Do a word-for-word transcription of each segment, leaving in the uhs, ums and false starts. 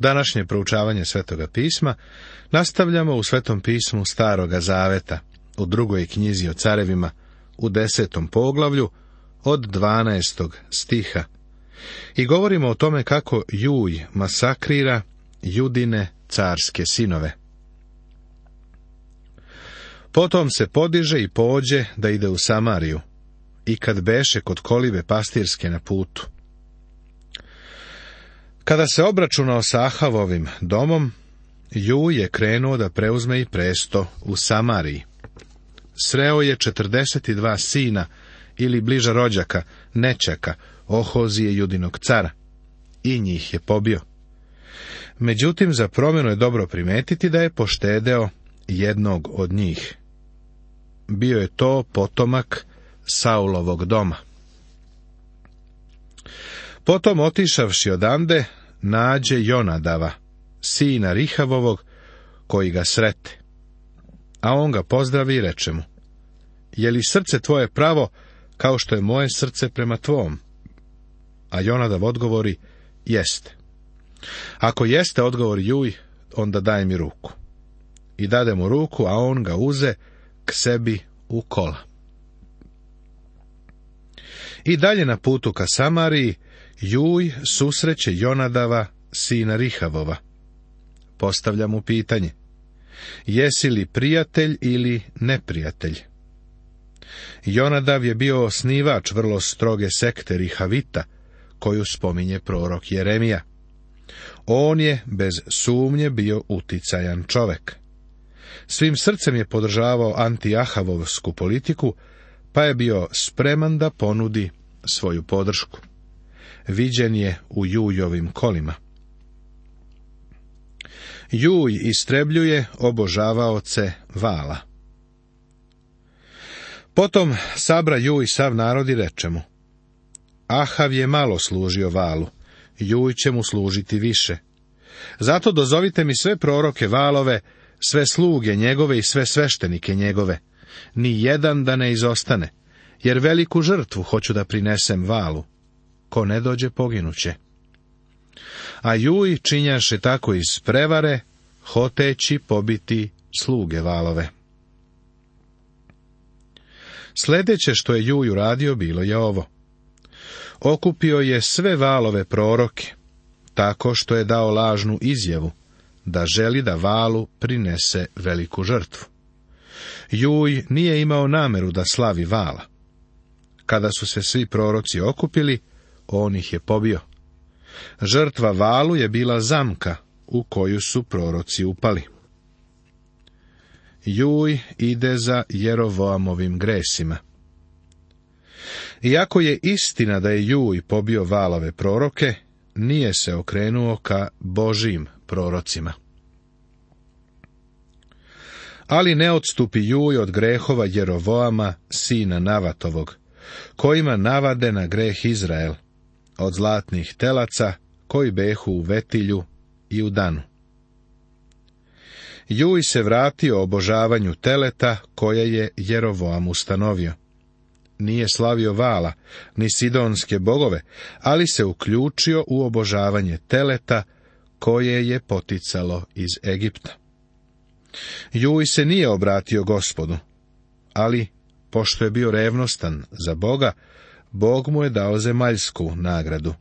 Današnje proučavanje Svetoga pisma nastavljamo u Svetom pismu Staroga zaveta, u drugoj knjizi o carevima, u desetom poglavlju, od dvanaestog stiha. I govorimo o tome kako Juj masakrira Judine carske sinove. Potom se podiže i pođe da ide u Samariju, i kad beše kod kolibe pastirske na putu. Kada se obračunao sa Ahavovim domom, Juj je krenuo da preuzme i presto u Samariji. Sreo je četrdeset dva sina, ili bliža rođaka, nećaka, Ohozije Judinog cara, i njih je pobio. Međutim, za promjenu je dobro primetiti da je poštedeo jednog od njih. Bio je to potomak Saulovog doma. Potom, otišavši odande, nađe Jonadava, sina Rihavovog, koji ga srete. A on ga pozdravi i reče mu: je li srce tvoje pravo, kao što je moje srce prema tvom? A Jonadav odgovori: jeste. Ako jeste, odgovori Juj, onda daj mi ruku. I dade mu ruku, a on ga uze k sebi u kola. I dalje na putu ka Samariji, Juj susreće Jonadava, sina Rihavova. Postavlja mu pitanje: jesi li prijatelj ili neprijatelj? Jonadav je bio osnivač vrlo stroge sekte Rihavita, koju spominje prorok Jeremija. On je bez sumnje bio uticajan čovek. Svim srcem je podržavao anti-ahavovsku politiku, pa je bio spreman da ponudi svoju podršku. Viđen je u Jujovim kolima. Juj istrebljuje obožavaoce Vala. Potom sabra Juj sav narod i reče mu: Ahav je malo služio Valu, Juj će mu služiti više. Zato dozovite mi sve proroke Valove, sve sluge njegove i sve sveštenike njegove, ni jedan da ne izostane, jer veliku žrtvu hoću da prinesem Valu. Ko ne dođe, poginuće. A Juj činjaše tako iz prevare, hoteći pobiti sluge Valove. Sljedeće što je Juj uradio bilo je ovo: okupio je sve Valove proroke, tako što je dao lažnu izjavu da želi da Valu prinese veliku žrtvu. Juj nije imao nameru da slavi Vala. Kada su se svi proroci okupili, on ih je pobio. Žrtva Valu je bila zamka u koju su proroci upali. Juj ide za Jerovoamovim gresima. Iako je istina da je Juj pobio Valove proroke, nije se okrenuo ka Božijim prorocima. Ali ne odstupi Juj od grehova Jerovoama, sina Navatovog, kojima navade na greh Izrael, od zlatnih telaca koji behu u Vetilju i u Danu. Juj se vratio obožavanju teleta koje je Jerovoam ustanovio. Nije slavio Vala, ni sidonske bogove, ali se uključio u obožavanje teleta koje je poticalo iz Egipta. Juj se nije obratio Gospodu, ali, pošto je bio revnostan za Boga, Bog mu je dao zemaljsku nagradu.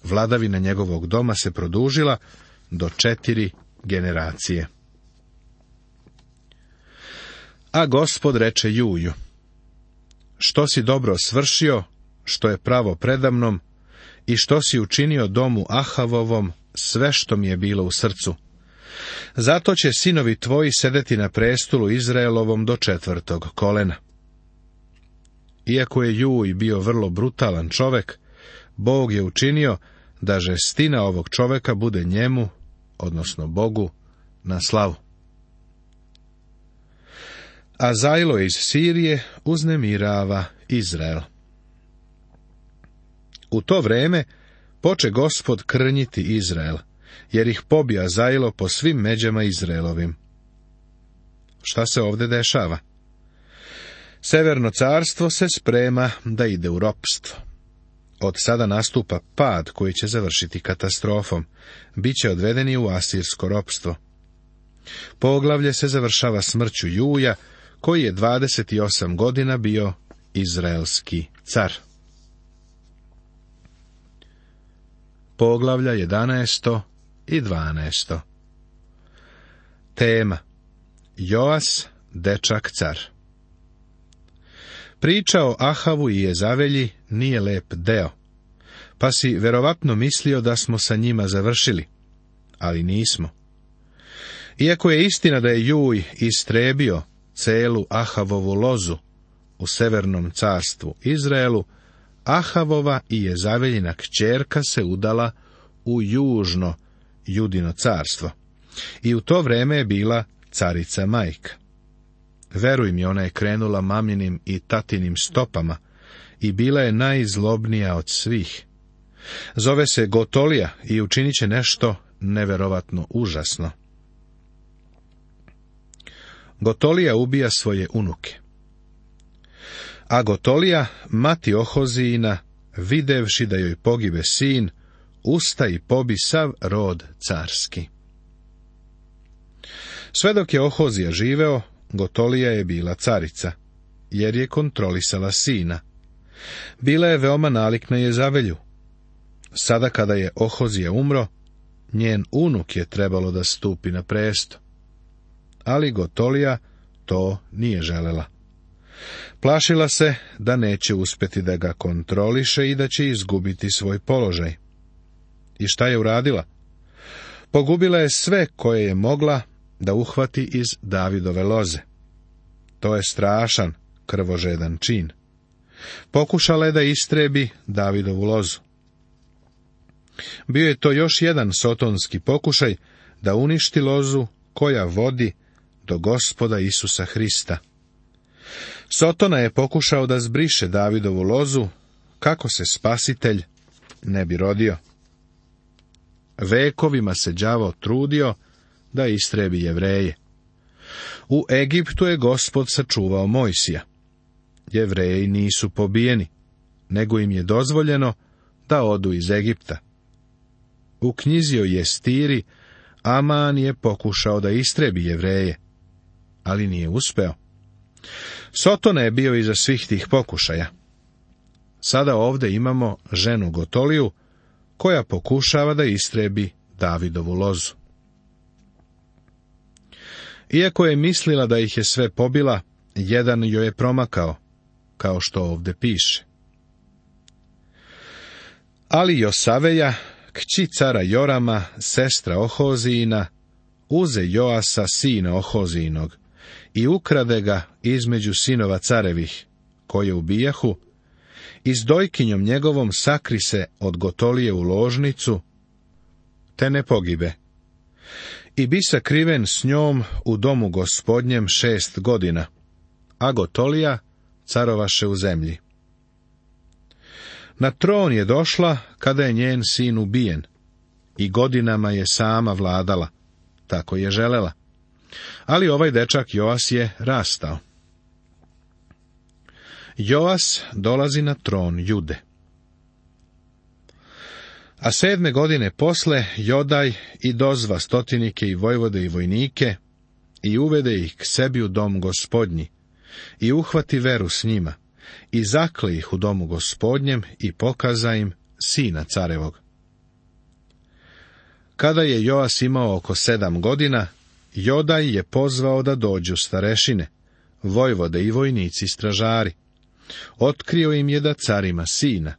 Vladavina njegovog doma se produžila do četiri generacije. A Gospod reče Juju: što si dobro svršio, što je pravo predamnom, i što si učinio domu Ahavovom, sve što mi je bilo u srcu. Zato će sinovi tvoji sedeti na prestolu Izraelovom do četvrtog kolena. Iako je Juj bio vrlo brutalan čovek, Bog je učinio da žestina ovog čoveka bude njemu, odnosno Bogu, na slavu. A Zajlo iz Sirije uznemirava Izrael. U to vreme poče Gospod krnjiti Izrael, jer ih pobija Zajlo po svim međama Izraelovim. Šta se ovdje dešava? Severno carstvo se sprema da ide u ropstvo. Od sada nastupa pad koji će završiti katastrofom. Biće odvedeni u asirsko ropstvo. Poglavlje se završava smrću Juja, koji je dvadeset osam godina bio izraelski car. Poglavlja jedanaesto i dvanaesto. Tema: Joas, dečak car. Priča o Ahavu i Jezavelji nije lep deo, pa si verovatno mislio da smo sa njima završili, ali nismo. Iako je istina da je Juj istrebio celu Ahavovu lozu u severnom carstvu Izraelu, Ahavova i Jezaveljina kćerka se udala u južno Judino carstvo i u to vreme je bila carica majka. Veruj mi, ona je krenula maminim i tatinim stopama i bila je najzlobnija od svih. Zove se Gotolija i učinit će nešto neverovatno užasno. Gotolija ubija svoje unuke. A Gotolija, mati Ohozijina, videvši da joj pogibe sin, usta i pobi sav rod carski. Sve dok je Ohozija živeo, Gotolija je bila carica, jer je kontrolisala sina. Bila je veoma nalik na Jezavelju. Sada kada je Ohozija umro, njen unuk je trebalo da stupi na presto. Ali Gotolija to nije želela. Plašila se da neće uspjeti da ga kontroliše i da će izgubiti svoj položaj. I šta je uradila? Pogubila je sve koje je mogla da uhvati iz Davidove loze. To je strašan, krvožedan čin. Pokušala je da istrebi Davidovu lozu. Bio je to još jedan sotonski pokušaj da uništi lozu koja vodi do Gospoda Isusa Hrista. Sotona je pokušao da zbriše Davidovu lozu, kako se Spasitelj ne bi rodio. Vekovima se đavo trudio da istrebi Jevreje. U Egiptu je Gospod sačuvao Mojsija. Jevreji nisu pobijeni, nego im je dozvoljeno da odu iz Egipta. U knjizi o Jestiri Aman je pokušao da istrebi Jevreje, ali nije uspeo. Sotona je bio iza svih tih pokušaja. Sada ovdje imamo ženu Gotoliju, koja pokušava da istrebi Davidovu lozu. Iako je mislila da ih je sve pobila, jedan joj je promakao, kao što ovdje piše. Ali Josaveja, kći cara Jorama, sestra Ohozijina, uze Joasa, sina Ohozijinog, i ukrade ga između sinova carevih, koje ubijahu, i s dojkinjom njegovom sakri se od Gotolije u ložnicu, te ne pogibe. I bi sakriven s njom u domu Gospodnjem šest godina, a Gotolija carovaše u zemlji. Na tron je došla kada je njen sin ubijen, i godinama je sama vladala, tako je želela. Ali ovaj dečak Joas je rastao. Joas dolazi na tron Jude. A sedme godine posle Jodaj i dozva stotinike i vojvode i vojnike i uvede ih k sebi u dom Gospodnji i uhvati veru s njima i zakle ih u domu Gospodnjem i pokaza im sina carevog. Kada je Joas imao oko sedam godina, Jodaj je pozvao da dođu starešine, vojvode i vojnici stražari. Otkrio im je da car ima sina.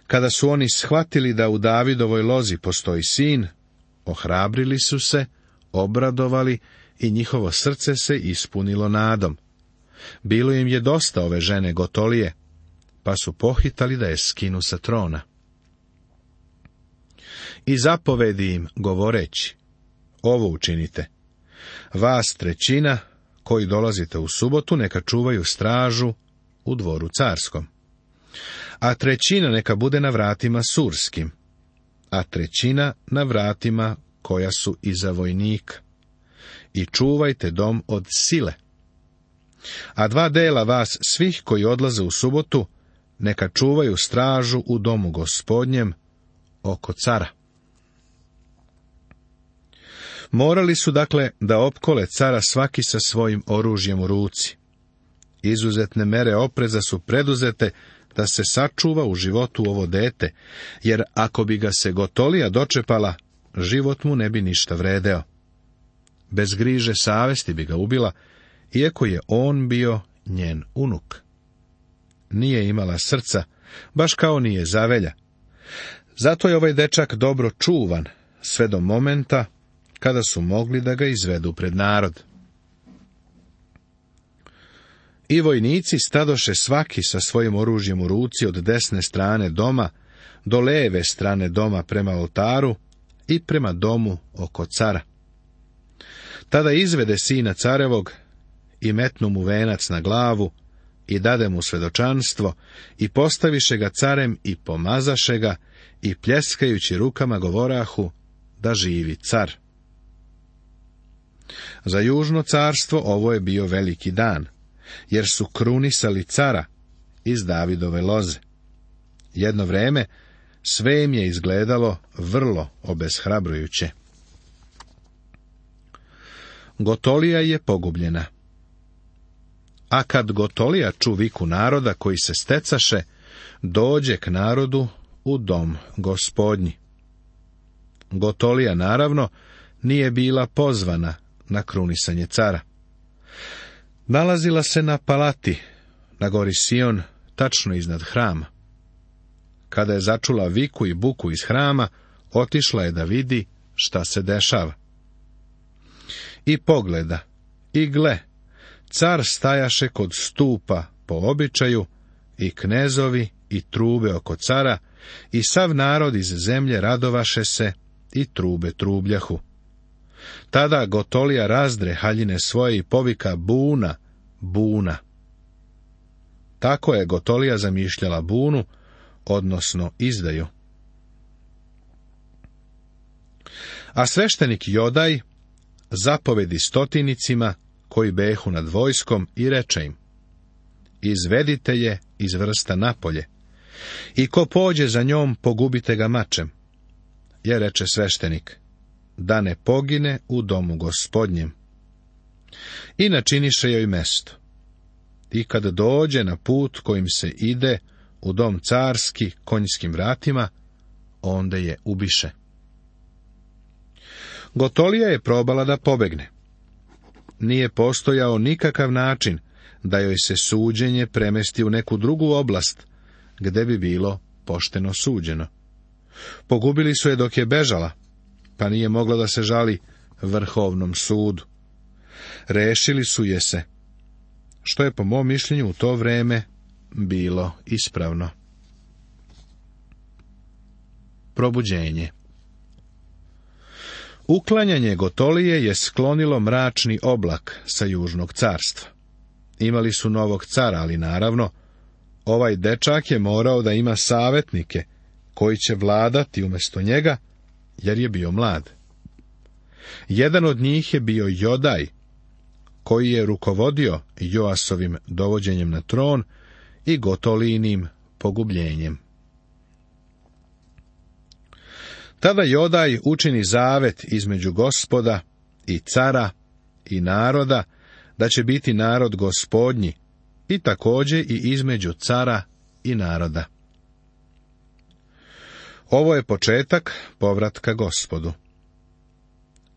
Kada su oni shvatili da u Davidovoj lozi postoji sin, ohrabrili su se, obradovali i njihovo srce se ispunilo nadom. Bilo im je dosta ove žene Gotolije, pa su pohitali da je skinu sa trona. I zapovedi im govoreći: ovo učinite. Vas trećina, koji dolazite u subotu, neka čuvaju stražu u dvoru carskom. A trećina neka bude na vratima surskim, a trećina na vratima koja su iza vojnika. I čuvajte dom od sile. A dva dela vas svih koji odlaze u subotu, neka čuvaju stražu u domu Gospodnjem oko cara. Morali su dakle da opkole cara svaki sa svojim oružjem u ruci. Izuzetne mere opreza su preduzete da se sačuva u životu ovo dete, jer ako bi ga se Gotolija dočepala, život mu ne bi ništa vredeo. Bez griže savesti bi ga ubila, iako je on bio njen unuk. Nije imala srca, baš kao nije zavelja. Zato je ovaj dečak dobro čuvan, sve do momenta kada su mogli da ga izvedu pred narod. I vojnici stadoše svaki sa svojim oružjem u ruci od desne strane doma do leve strane doma prema oltaru i prema domu oko cara. Tada izvede sina carevog i metnu mu venac na glavu i dade mu svedočanstvo i postaviše ga carem i pomazaše ga i pljeskajući rukama govorahu da živi car. Za južno carstvo ovo je bio veliki dan, jer su krunisali cara iz Davidove loze. Jedno vreme sve im je izgledalo vrlo obeshrabrujuće. Gotolija je pogubljena. A kad Gotolija ču viku naroda koji se stecaše, dođe k narodu u dom Gospodnji. Gotolija, naravno, nije bila pozvana na krunisanje cara. Nalazila se na palati, na gori Sion, tačno iznad hrama. Kada je začula viku i buku iz hrama, otišla je da vidi šta se dešava. I pogleda, i gle, car stajaše kod stupa po običaju, i knezovi i trube oko cara, i sav narod iz zemlje radovaše se i trube trubljahu. Tada Gotolija razdre haljine svoje i povika buna, buna. Tako je Gotolija zamišljala bunu, odnosno izdaju. A sveštenik Jodaj zapovedi stotinicima koji behu nad vojskom i reče im: izvedite je iz vrsta napolje, i ko pođe za njom, pogubite ga mačem. Je reče sveštenik, da ne pogine u domu Gospodnjem. I načiniše joj mesto. I kad dođe na put kojim se ide u dom carski konjskim vratima, onda je ubiše. Gotolija je probala da pobegne. Nije postojao nikakav način da joj se suđenje premesti u neku drugu oblast, gde bi bilo pošteno suđeno. Pogubili su je dok je bežala, pa nije mogla da se žali vrhovnom sudu. Rešili su je se, što je po mom mišljenju u to vreme bilo ispravno. Probuđenje. Uklanjanje Gotolije je sklonilo mračni oblak sa južnog carstva. Imali su novog cara, ali naravno, ovaj dečak je morao da ima savetnike koji će vladati umjesto njega, jer je bio mlad. Jedan od njih je bio Jodaj, koji je rukovodio Joasovim dovođenjem na tron i Gotolijinim pogubljenjem. Tada Jodaj učini zavet između Gospoda i cara i naroda, da će biti narod Gospodnji, i također i između cara i naroda. Ovo je početak povratka Gospodu.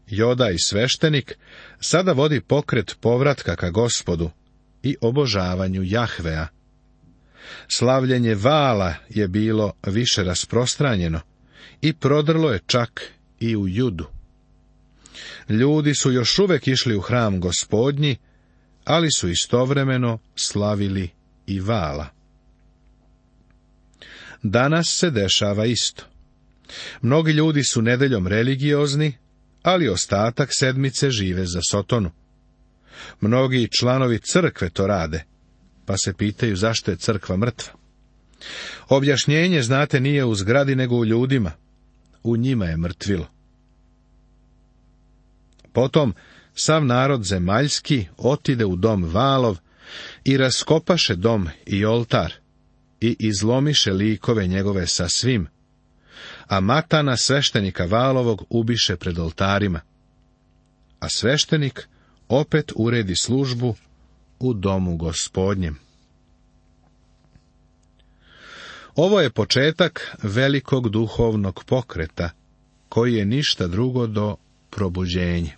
Jodaj sveštenik sada vodi pokret povratka ka Gospodu i obožavanju Jahvea. Slavljenje Vala je bilo više rasprostranjeno i prodrlo je čak i u Judu. Ljudi su još uvek išli u hram Gospodnji, ali su istovremeno slavili i Vala. Danas se dešava isto. Mnogi ljudi su nedeljom religiozni, ali ostatak sedmice žive za Sotonu. Mnogi članovi crkve to rade, pa se pitaju zašto je crkva mrtva. Objašnjenje, znate, nije u zgradi nego u ljudima. U njima je mrtvilo. Potom sav narod zemaljski otide u dom Valov i raskopaše dom i oltar, i izlomiše likove njegove sa svim, a Matana sveštenika Valovog ubiše pred oltarima, a sveštenik opet uredi službu u domu Gospodnjem. Ovo je početak velikog duhovnog pokreta, koji je ništa drugo do probuđenje.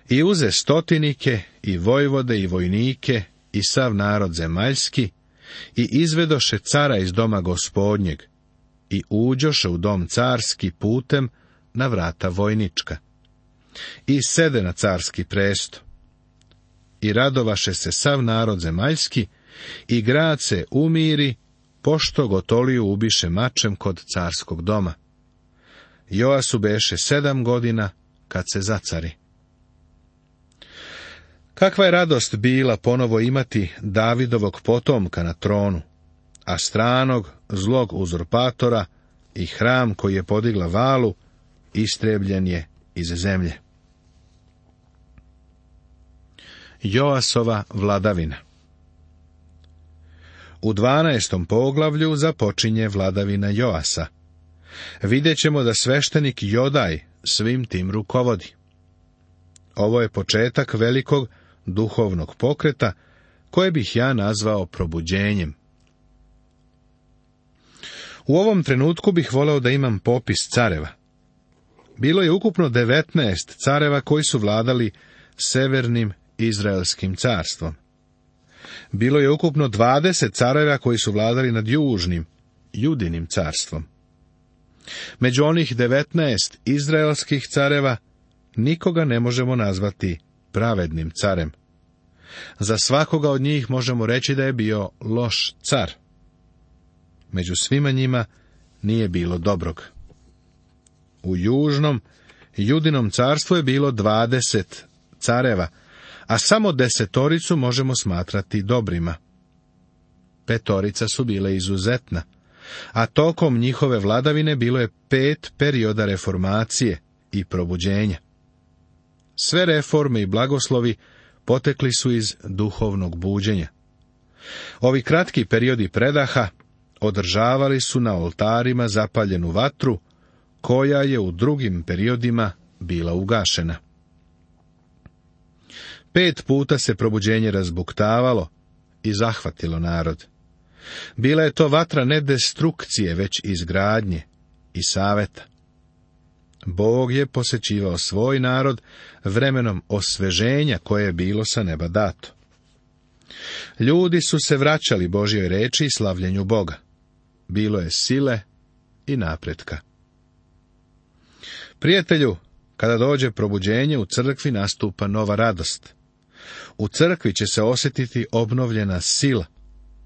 I uze stotinike, i vojvode, i vojnike, i sav narod zemaljski, i izvedoše cara iz doma Gospodnjeg, i uđoše u dom carski putem na vrata vojnička, i sede na carski presto. I radovaše se sav narod zemaljski, i grad se umiri, pošto Gotoliju ubiše mačem kod carskog doma. Joasu beše sedam godina kad se zacari. Kakva je radost bila ponovo imati Davidovog potomka na tronu, a stranog, zlog uzurpatora i hram koji je podigla Valu, istrebljen je iz zemlje. Joasova vladavina. U dvanaestom poglavlju započinje vladavina Joasa. Vidjet ćemo da sveštenik Jodaj svim tim rukovodi. Ovo je početak velikog duhovnog pokreta, koje bih ja nazvao probuđenjem. U ovom trenutku bih voleo da imam popis careva. Bilo je ukupno devetnaest careva koji su vladali severnim Izraelskim carstvom. Bilo je ukupno dvadeset careva koji su vladali nad južnim, Judinim carstvom. Među onih devetnaest izraelskih careva nikoga ne možemo nazvati pravednim carem. Za svakoga od njih možemo reći da je bio loš car. Među svima njima nije bilo dobrog. U južnom, Judinom carstvu je bilo dvadeset careva, a samo desetoricu možemo smatrati dobrima. Petorica su bile izuzetna, a tokom njihove vladavine bilo je pet perioda reformacije i probuđenja. Sve reforme i blagoslovi potekli su iz duhovnog buđenja. Ovi kratki periodi predaha održavali su na oltarima zapaljenu vatru, koja je u drugim periodima bila ugašena. Pet puta se probuđenje razbuktavalo i zahvatilo narod. Bila je to vatra ne destrukcije, već izgradnje i saveta. Bog je posećivao svoj narod vremenom osveženja koje je bilo sa neba dato. Ljudi su se vraćali Božjoj reči i slavljenju Boga. Bilo je sile i napretka. Prijatelju, kada dođe probuđenje, u crkvi nastupa nova radost. U crkvi će se osjetiti obnovljena sila,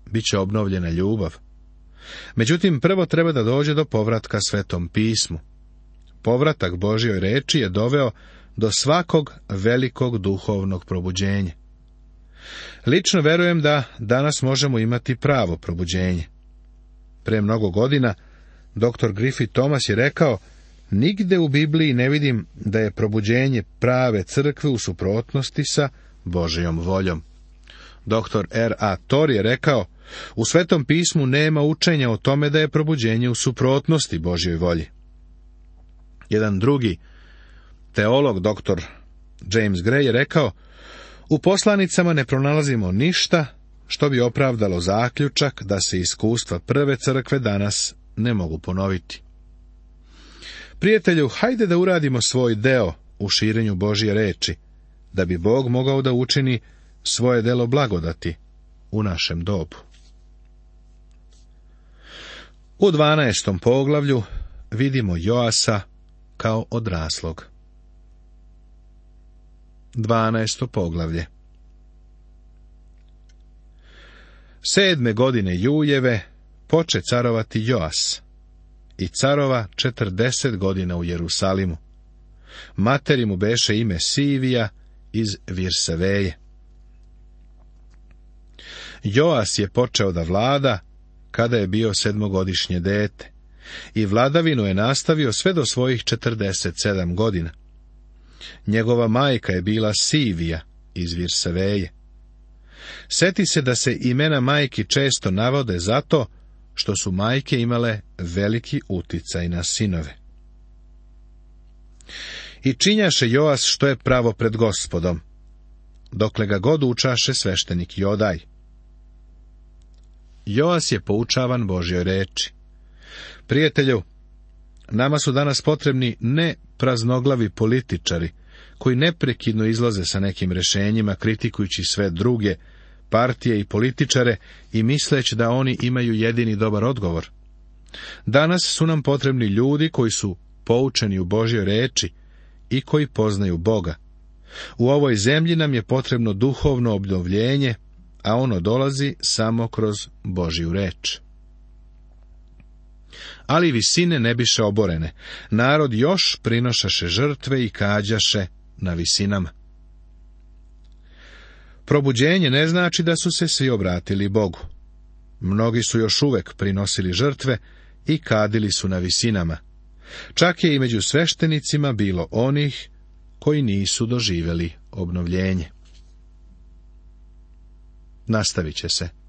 bit će obnovljena ljubav. Međutim, prvo treba da dođe do povratka Svetom pismu. Povratak Božjoj reči je doveo do svakog velikog duhovnog probuđenja. Lično verujem da danas možemo imati pravo probuđenje. Pre mnogo godina doktor Griffith Thomas je rekao: nigde u Bibliji ne vidim da je probuđenje prave crkve u suprotnosti sa Božjom voljom. doktor R A Torrey je rekao: u Svetom pismu nema učenja o tome da je probuđenje u suprotnosti Božjoj volji. Jedan drugi teolog, doktor James Gray, je rekao: u poslanicama ne pronalazimo ništa što bi opravdalo zaključak da se iskustva prve crkve danas ne mogu ponoviti. Prijatelju, hajde da uradimo svoj deo u širenju Božje reči, da bi Bog mogao da učini svoje delo blagodati u našem dobu. U dvanaestom poglavlju vidimo Joasa kao odraslog. Dvanaesto poglavlje. Sedme godine Jujeve poče carovati Joas i carova četrdeset godina u Jerusalimu. Materi mu beše ime Sivija iz Virseveje. Joas je počeo da vlada kada je bio sedmogodišnje dete i vladavinu je nastavio sve do svojih četrdeset sedam godina. Njegova majka je bila Sivija iz Virseveje. Seti se da se imena majki često navode zato što su majke imale veliki uticaj na sinove. I činjaše Joas što je pravo pred Gospodom, dokle ga god učaše sveštenik Jodaj. Joas je poučavan Božjoj reči. Prijatelju, nama su danas potrebni ne praznoglavi političari, koji neprekidno izlaze sa nekim rješenjima, kritikujući sve druge partije i političare i misleći da oni imaju jedini dobar odgovor. Danas su nam potrebni ljudi koji su poučeni u Božjoj reči i koji poznaju Boga. U ovoj zemlji nam je potrebno duhovno obnovljenje, a ono dolazi samo kroz Božju reč. Ali visine ne biše oborene. Narod još prinošaše žrtve i kađaše na visinama. Probuđenje ne znači da su se svi obratili Bogu. Mnogi su još uvek prinosili žrtve i kadili su na visinama. Čak je i među sveštenicima bilo onih koji nisu doživjeli obnovljenje. Nastavit će se.